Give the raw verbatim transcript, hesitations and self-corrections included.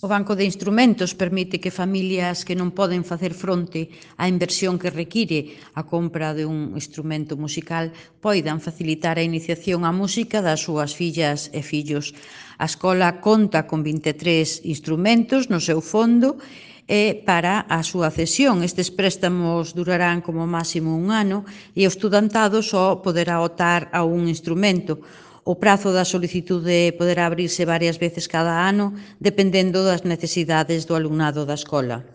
O Banco de Instrumentos permite que familias que non poden facer fronte á inversión que require a compra de un instrumento musical poidan facilitar a iniciación á música das súas fillas e fillos. A escola conta con vinte e tres instrumentos no seu fondo e para a súa cesión. Estes préstamos durarán como máximo un ano e o estudantado só poderá optar a un instrumento. O prazo da solicitude poderá abrirse varias veces cada ano, dependendo das necesidades do alumnado da escola.